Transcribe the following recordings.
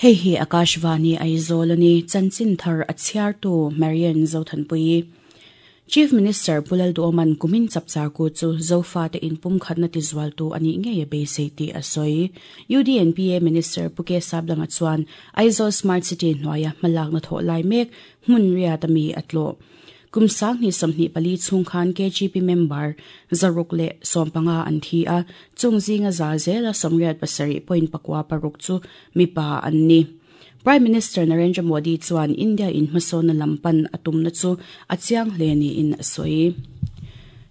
Hei hi Akashvani Aizawl a ni, chanchin thar a chhiartu Marian Zothanpuii. Chief Minister Pu Lalduoman kumin chapchar ku chu Zofate inpumkhatna tizualtu a nih ngei a beisei tih a sawi. UDNPA Minister Pu K Sablanga chuan Aizawl Smart City hnuaia hmalakna thawh lai mek hmun riat a mi a tlawh. Kum 2024 chhung khan KGP member 115 an thi a, chung zinga za zela 87.6 chu mipa an ni. Prime Minister Narendra Modi chuan India in hmasawnna lam pan a tumna chu a chiang hle niin a sawi.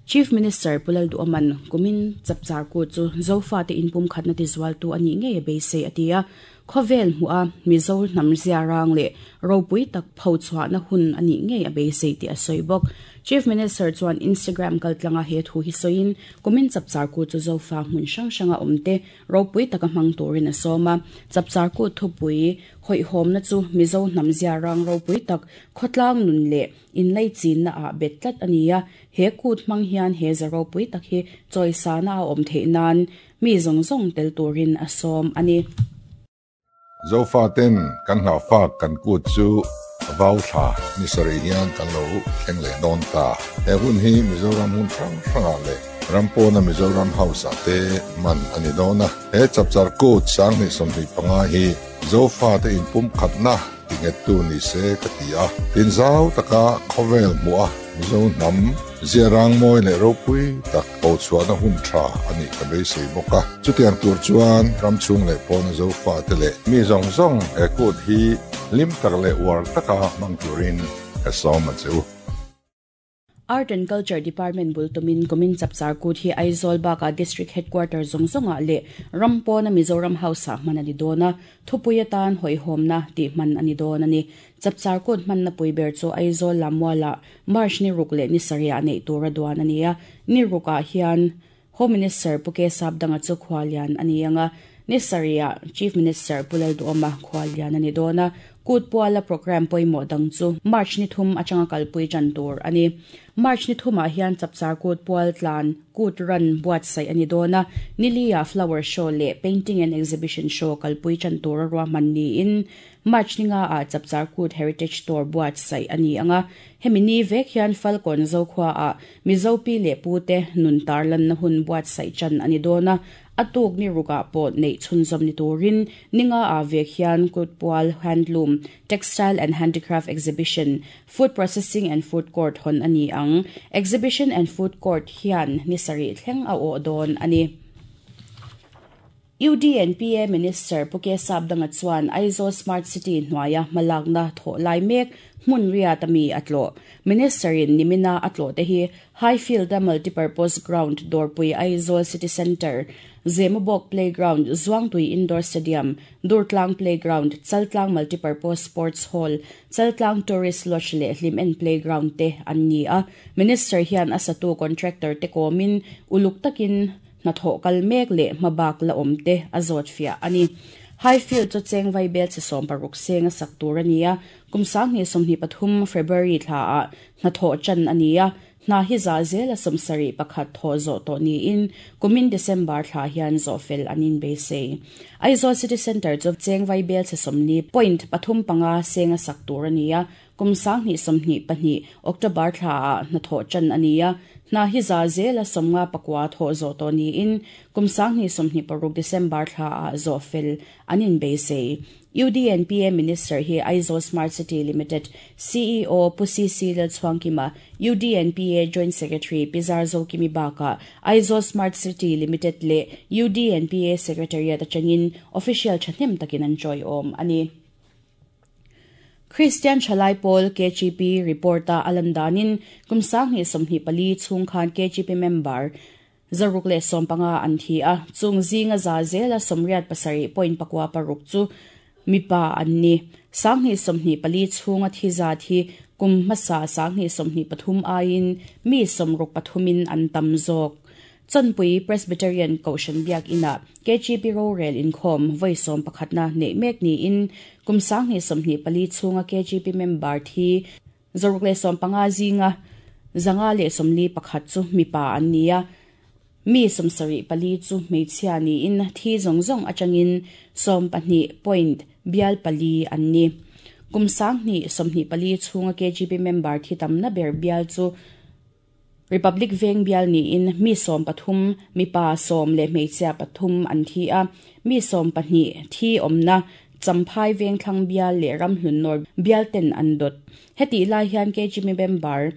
Chief Minister Pu Lalduhawman kumin chapchar ku chu Zofate inpumkhatna tizualtu a nih ngei a beisei a ti a, Khawvel hmuh a Mizo hnam ziarang leh ropui tak phochhuahna hun a nih ngei a beisei tih a sawi bawk. Chief Minister chuan Instagram kaltlanga he thu hi sawiin, kumin chapchar kut chu Zofa hmun hrang hranga awmte ropui taka hmang turin a sawm a. Chapchar kut thupui hawihhawmna chu Mizo hnam ziarang ropui tak khawtlang nun leh inleichinna ah bet tlat a ni a. He kut hmang hian he za ropui tak hi chawisana a awm theih nan Mi zawng zawng tel turin a sawm a ni. Zofaten kan hlauhfak kan kut chu vau thla ni sarih hian kan lo thleng leh dawn ta. He hun hi Mizoram hmun hrang hrangah leh ram pawna Mizoram House ah te hman a ni dawn a. He chapchar kut 2025 hi Zofate inpumkhatna tinghettu ni se ka ti a. Tinzau taka khawvel hmuh a Mizo hnam ziarang mawi leh ropui tak Hochhuahna hun tha a nih ka beisei bawk a. Chutiang tur chuan ram chhung leh pawna Zofate leh mi zawng zawng he kut hi hlim tak leh uar taka hmang turin ka sawm a che u. Art and Culture Department bul tumin kumin chapchar kut hi Aizawl bakah District Headquarter zawng zawngah leh ram pawna Mizoram House-ah hman a ni dawn a, thupui atan hawihhawmna tih hman a ni dawn a ni. Chapchar kut hmanna pui ber chu Aizawl Lammualah March ni ruk leh ni sarihah neih tura duan a ni a, ni rukah hian Home Minister Pu K Sapdanga chu khuallian a ni ang a, ni sarihah Chief Minister Pu Lalduhawma khuallian a ni dawn a, kut puala programme pawimawh dang chu March ni thum atanga kalpui tan tur a ni. March ni thumah hian Chapchar kut pual tlan kut run buatsaih a ni dawn a, niliah Flower Show leh Painting and Exhibition Show kalpui tan tura ruahman niin March ni nga ah Chapchar Kut Heritage Tour buatsaih a ni ang a, hemi ni vek hian Falkawn Zokhua ah Mizo pi leh pu te nun tarlanna hun buatsaih chan a ni dawn a, a tuk ni ruk ah pawh neih chhunzawm ni turin ni nga ah vek hian Kutpual Handloom, Textile and Handicraft Exhibition, Food Processing and Food Court hawn a ni ang. Exhibition and Food Court hian ni sarih thleng a awh dawn a ni. UDNPA Minister Pu K Sapdanga chuan Aizawl Smart City hnuaia hmalakna thawh lai mek hmun riat a mi a tlawh. Minister-in nimina a tlawh te hi Highfield-a Multipurpose Ground, Dawrpui Aizawl City Centre, Zemabawk Playground, Zuangtui Indoor Stadium, Durtlang Playground, Chaltlang Multipurpose Sports Hall, Chaltlang Tourist Lodge leh Hlimen Playground te an ni a. Minister hian a satu contractor te kawmin uluk takin Hnathawh kal mek leh hmabak la awm te a zawt fiah a ni. Highfield chu cheng vaibel chi 16 seng a sak tur a ni a, kum 2023 February thla ah hnathawh chan a ni a, hna hi za zela 71 thawh zawh tawh niin kumin December thla hian zawh fel an inbeisei. Aizawl City Centre chu cheng vaibel chi 40.35 seng a sak tur a ni a, Kum 2022 October thla ah hnathawh chan a ni a, hna hi za zela 59 thawh zawh tawh niin kum 2026 December thla ah zawh fel an inbeisei. UDNPA Minister hi Aizawl Smart City Limited CEO Pu CC Lalchhuangkima, UDNPA Joint Secretary Pi Zarzokimi bakah Aizawl Smart City Limited leh UDNPA Secretariat atangin official thahnem takin an tawiawm a ni. Kristian Thalai Pawl, KGP, report-a a lan danin kum 2024 chhung khan KGP member 115 an thi a, chung zinga za zela 87.96 chu mipa an ni. 2024 chhunga thi zat hi kum hmasa 2023 aiin mi 63 in an tam zawk. Chawnpui Presbyterian Kohhran Biakinah KGP rorel inkhawm vawi sawmpakhatna neih mek niin kum 2024 chhunga KGP member thi 115 zinga 141 chu mipa an ni a, mi 74 chu hmeichhia niin thi zawng zawng atangin 12. bial pali an ni. Kum 2024 chhunga KGP member thi tamna ber bial chu Republic Veng bial niin mi 13, mipa 10 leh hmeichhia pathum an thi a, mi 12 thi awmna Champhai Vengthlang bial leh Ramhlun North bial ten an dawt. Hetih lai hian KGP member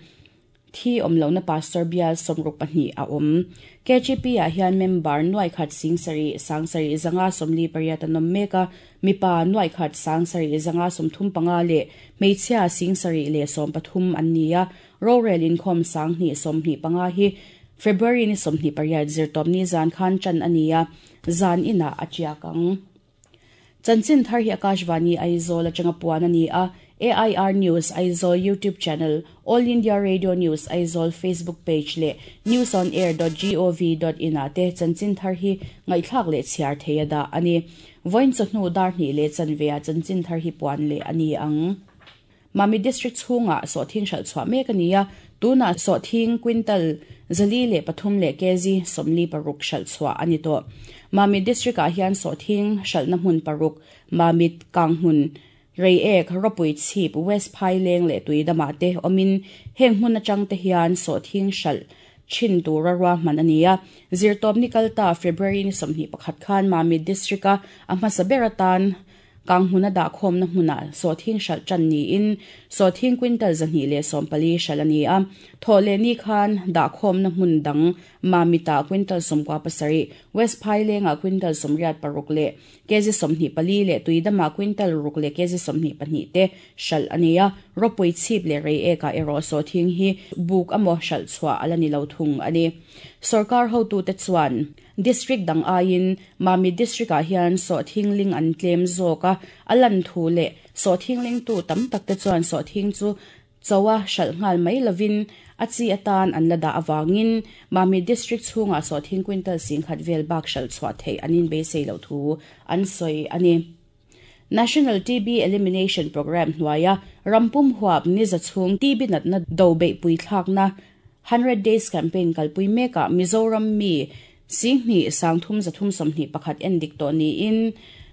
thi awm lohna Pastor bial 62 a awm. KGP ah hian member nuaikhat 7 7 548 an awm mek a, mipa nuaikhat 7 535 leh hmeichhia 7 leh 13 an ni a. Rorel inkhawm 2025 hi February ni 28 zirtawpni zan khan tan a ni a, zan inah a tiak ang. Chanchin thar hi Akashvani Aizawl atanga puan a ni a, AIR News Aizawl YouTube channel, All India Radio News Aizawl Facebook page leh newsonair.gov.in ah te chanchin thar hi ngaihthlak leh chhiar thei a dah a ni. Vawiin chawhnu dar hnih leh chanve ah chanchin thar hi puan leh a ni ang. Mamit District chhungah sawhthing hralh chhuah mek a ni a, tunah sawhthing quintal 403 leh kg 46 hralh chhuah a ni tawh. Mamit District ah hian sawhthing hralhna hmun paruk, Mamit, Kanghmun, Reiek, Rawpui Chhip, West Phaileng leh Tuidamah te awmin heng hmun atang te hian sawhthing hralh thin tura ruahman a ni a. Zirtawpni kalta February ni 21 khan Mamit District a a hmasa ber atan Kanghmun a dahkhawmna hmunah sawhthing hralh tan niin sawhthing quintal 240 hralh a ni a. Thawh leh ni khan dahkhawmna hmun dang Mamitah quintal 97, West Phailengah quintal 86 leh kg 24 leh Tuidamah quintal 6 leh kg 22 te hralh a ni a. Rawpui Chhip leh Reiekah erawh sawhthing hi buk emaw hralh chhuah a la ni lo thung a ni. Sorkar hotute chuan District dang aiin Mamit District ah hian sawhthing ling an tlem zawk a, a lan thu leh sawhthing lingtu tam tak te chuan sawhthing chu chawa hralh nghal mai lovin a chi atan an la dah avangin Mamit District chhungah sawhthing quintal 10,000 vel bak hralh chhuah theih an inbeisei loh thu an sawi a ni. National TB Elimination Programme hnuaia rampum huap ni za chhung TB natna do beihpui thlakna 100 Days Campaign kalpui mekah Mizoram mi 2 3 321 en dik tawh niin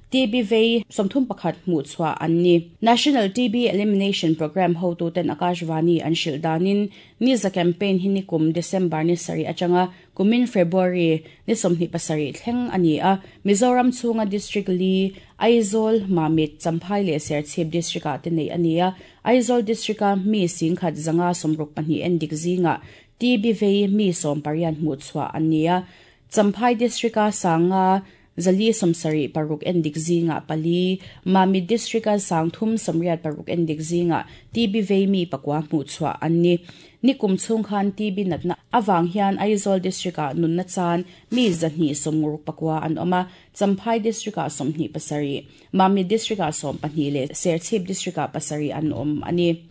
TB vei 31 hmuh chhuah an ni. National TB Elimination Programme hotuten Akashvani an hrilh danin ni za campaign hi nikum December ni sarih atanga kumin February ni 27 thleng a ni a. Mizoram chhunga District li Aizawl, Mamit, Champhai leh Serchhip District ah te nei a ni a. Aizawl District a mi 1,162 en dik zingah TB vei mi 18 hmuh chhuah an ni a. Champhai District a sanga 476 en dik zingah pali, Mamit District a 386 en dik zingah TB vei mi pakua hmuh chhuah an ni. Nikum chhung khan TB natna awang hian Aizawl District ah nunna chan mi 294 an awm a, Champhai District ah 27, Mamit District ah 12 leh Serchhip District ah 7 an awm a ni.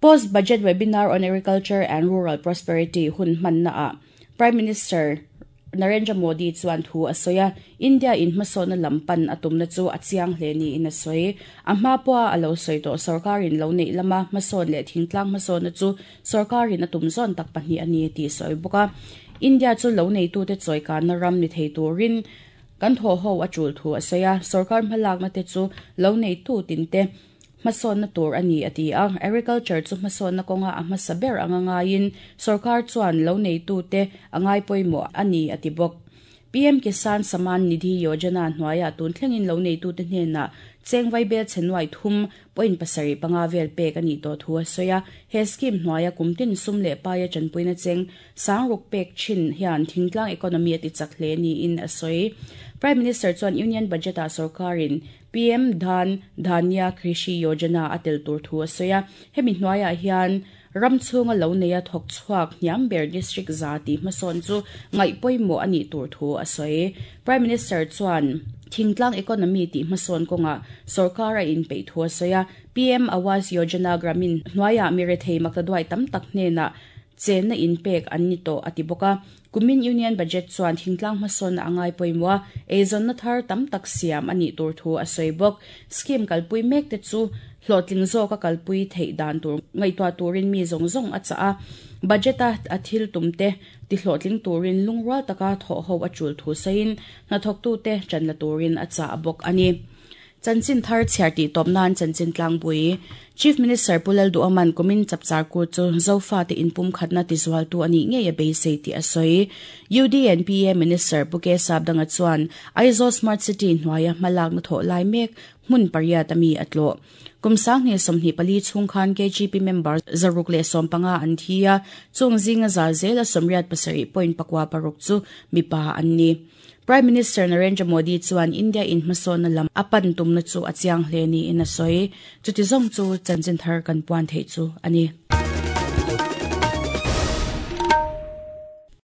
Post Budget Webinar on Agriculture and Rural Prosperity hun hmanna ah Prime Minister Narendra Modi chuan thu a sawi a, India in hmasawhna lam pan a tumna chu a chiang hle niin a sawi. A hma pawha a lo sawi tawh sorkarin lo neih lama hmasawn leh thingtlang hmasawhna chu sorkarin a tum zawn tak pahnih a ni tih sawi bawk a. India chu lo neitute chawikanna ram ni thei turin kan thaw ho a tul thu a sawi a, sorkar hmalakna te chu lo neitu tinte hmasawhna tur a ni a ti a. Agriculture chu hmasawhna kawnga a hmasa ber anga ngaiin sorkar chuan lo neitute a ngai pawimawh a ni a ti bawk. PM Kisan Samman Nidhi Yojana hnuaia tun thlengin lo neitute hnenah chengvai bel chenuai 3.75 vel pek a ni tawh thu a sawi a. He scheme hnuaia kumtin sum leh paia chanpuina cheng sangruk pek thin hian thingtlang economy a ti chak hle niin a sawi. Prime Minister chuan Union Budget ah sorkarin PM Dhan Dhanya Krishi Yojana a tel tur thu a sawi a. Hemi hnuaiah hian ram chhunga lo neia thawk chhuak hniam ber district za ti hmasawn chu ngaih pawimawh a nih tur thu a sawi. Prime Minister chuan thingtlang economy ti hmasawn kawnga sorkar a inpeih thu a sawi a. PM Awas Yojana Gramin hnuaiah mirethei maktaduai tam tak hnenah chenna inpek an ni tawh a ti bawk a. Kumin Union Budget chuan thingtlang hmasawnna a ngai pawimawh a, eizawnna thar tam tak siam a nih tur thu a sawi bawk. Scheme kalpui mek te chu hlawhtling zawk a kalpui theih dan tur ngaihtuah turin mi zawng zawng a chah a. Budget a a thil tum te ti hlawhtling turin lungrual taka thawh ho a tul thu sawiin hnathawktute tan la turin a chah bawk a ni. Chanchin thar chhiar tih tawp nan chanchin tlangpui Chief Minister Pu Lalduhawman kumin chapchar kut chu Zofate inpumkhatna tizualtu a nih ngei a beisei tih a sawi. UDNPA Minister Pu K Sapdanga chuan Aizawl Smart City hnuaia hmalakna thawh lai mek hmun pariat a mi a tlawh. Kum 2024 chhung khan KGP member 115 an thi a, chung zinga za zela 87.6 chu mipa an ni. Prime Minister Narendra Modi chuan India in hmasawnna lam a pan tumna chu a chiang hle niin a sawi. Chuti zawng chu chanchin thar kan puan theih chu a ni.